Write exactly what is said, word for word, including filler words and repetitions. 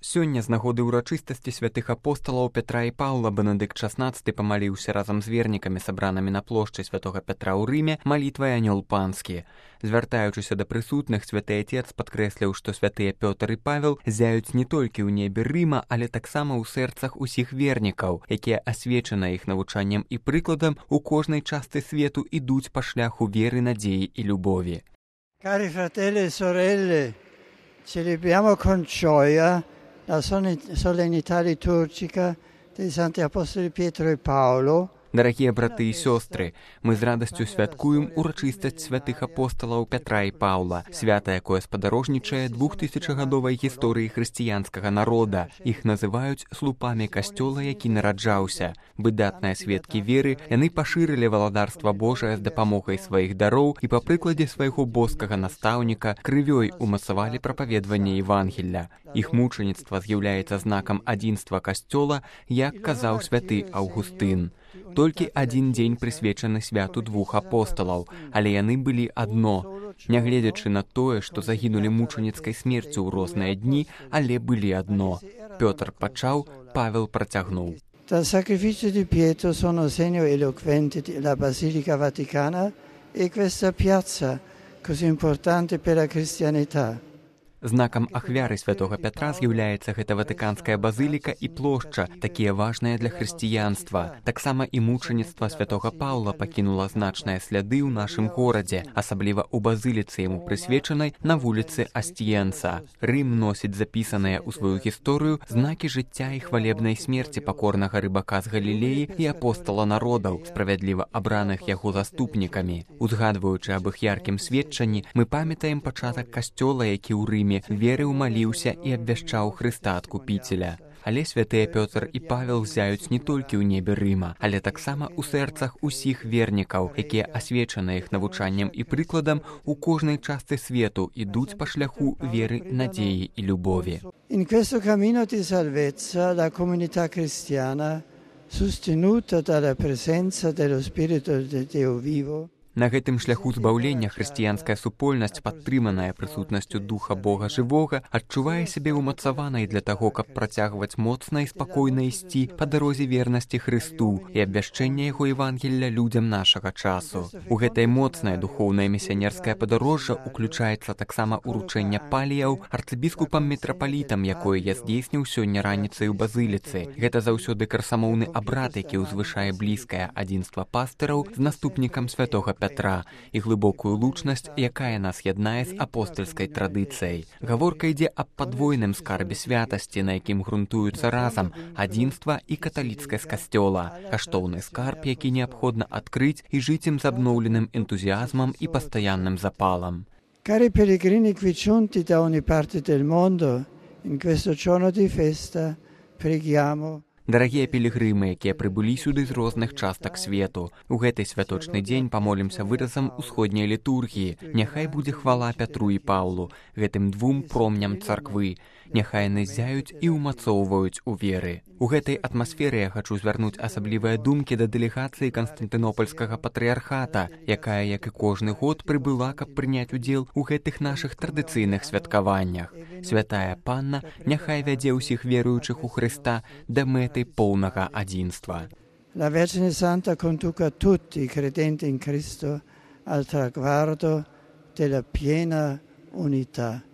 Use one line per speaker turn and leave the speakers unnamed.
Сёння з нагоды ўрачыстасці святых апосталаў Пятра і Паўла Бенедыкт шаснаццаты памаліўся разам з вернікамі, сабранымі на плошчы святога Пятра ў Рыме, малітвай анёл панскі. Звяртаючыся да прысутных, святы Атец падкрэсліў, што святыя Пётр і Павел зяюць не толькі ў небе Рыма, але таксама ў сэрцах усіх вернікаў, якія асвечаны іх навучаннем і прыкладам у кожнай частцы свету ідуць па шляху веры, надзеі і любові.
Cari fratelli e sorelle, celebriamo con gioia la solennità liturgica dei Santi Apostoli Pietro e Paolo.
Дарагія браты і сёстры, мы з радасцю святкуем урачыстасць святых апосталаў Пятра і Паўла, свята, якое спадарожнічае двухтысячагадовай гісторыі хрысціянскага народа. Іх называюць слупамі касцёла, які нараджаўся. Выдатныя сведкі веры, яны пашырылі валадарства Божае з дапамогай сваіх дароў і па прыкладзе свайго боскага настаўніка крывёй умацавалі прапаведванне Евангелля. Іх мучаніцтва з'яўляецца знакам адзінства касцёла, як казаў святы Аўгустын. Толькі адзін дзень прысвечаны святу двух апосталаў, але яны былі адно. Нягледзячы на тое, што загінулі мучаніцкай смерцю ў розныя дні, але былі адно. Пётр пачаў, Павел працягнуў.
Dal sacrificio di Pietro sono segno eloquente la Basilica Vaticana e questa piazza così importante per la cristianità.
Знакам ахвяры святога Пятра з'яўляецца гэта ватыканская базыліка і плошча, такія важныя для хрысціянства. Таксама і мучаніцтва святога Паўла пакінула значныя сляды ў нашым горадзе, асабліва ў базыліцы яму прысвечанай на вуліцы Астіенца. Рым носіць запісаныя ў сваю гісторыю знакі жыцця і хвалебнай смерці пакорнага рыбака з Галілеі і апостала народаў, справядліва абраных яго заступнікамі. Узгадваючы аб іх яркім сведчанні, мы памятаем пачатак касцёла, які ў Рыме верыў, маліўся і абвяшчаў Хрыста Адкупіцеля. Але святыя Пётр і Павел зяюць не толькі ў небе Рыма, але таксама ў сэрцах усіх вернікаў, якія асвечаны іх навучаннем і прыкладам у кожнай частцы свету ідуць па шляху веры, надзеі і любові.
In questo cammino di salvezza la comunità cristiana, sostenuta dalla presenza dello Spirito di Dio vivo,
на гэтым шляху збаўлення хрысціянская супольнасць, падтрыманая прысутнасцю духа Бога жывога, адчувае сябе ўмацаванай для таго, каб працягваць моцна і спакойна ісці па дарозе вернасці Хрысту і абвяшчэння яго Евангелля людзям нашага часу. У гэтай моцнае духоўнае місіянерскае падарожжа уключаецца таксама ўручэнне паліяў арцыбіскупам-метрапалітам, якое я здзейсніў сёння раніцай у базыліцы. Гэта заўсёды красамоўны абрад, які ўзвышае блізкае адзінства пастыраў з наступнікам святога Пятра і глыбокую лучнасць, якая нас яднае з апостальскай традыцыяй. Гаворка ідзе аб падвойным скарбе святасці, на якім грунтуюцца разам адзінства і каталіцкасць касцёла. Каштоўны скарб, які неабходна адкрыць і жыць ім з абноўленым энтузіазмам і пастаянным запалам.
Cari pellegrini qui giunti da ogni parte del mondo, in questo giorno di festa, preghiamo.
Дарагія пілігрымы, якія прыбылі сюды з розных частак свету, у гэты святочны дзень памолімся выразам усходняй літургіі. Няхай будзе хвала Пятру і Паўлу, гэтым двум промням царквы. Няхай яны зяюць і ўмацоўваюць у веры. У гэтай атмасферы я хачу звярнуць асаблівыя думкі да дэлегацыі Канстантынопольскага патрыярхата, якая, як і кожны год, прыбыла, каб прыняць удзел у гэтых нашых традыцыйных святкаваннях. Святая Панна няхай вядзе ўсіх веруючых у Хрыста да мэты поўнага адзінства.
La Vergine Santa conduca tutti i credenti in Cristo al traguardo della piena unità.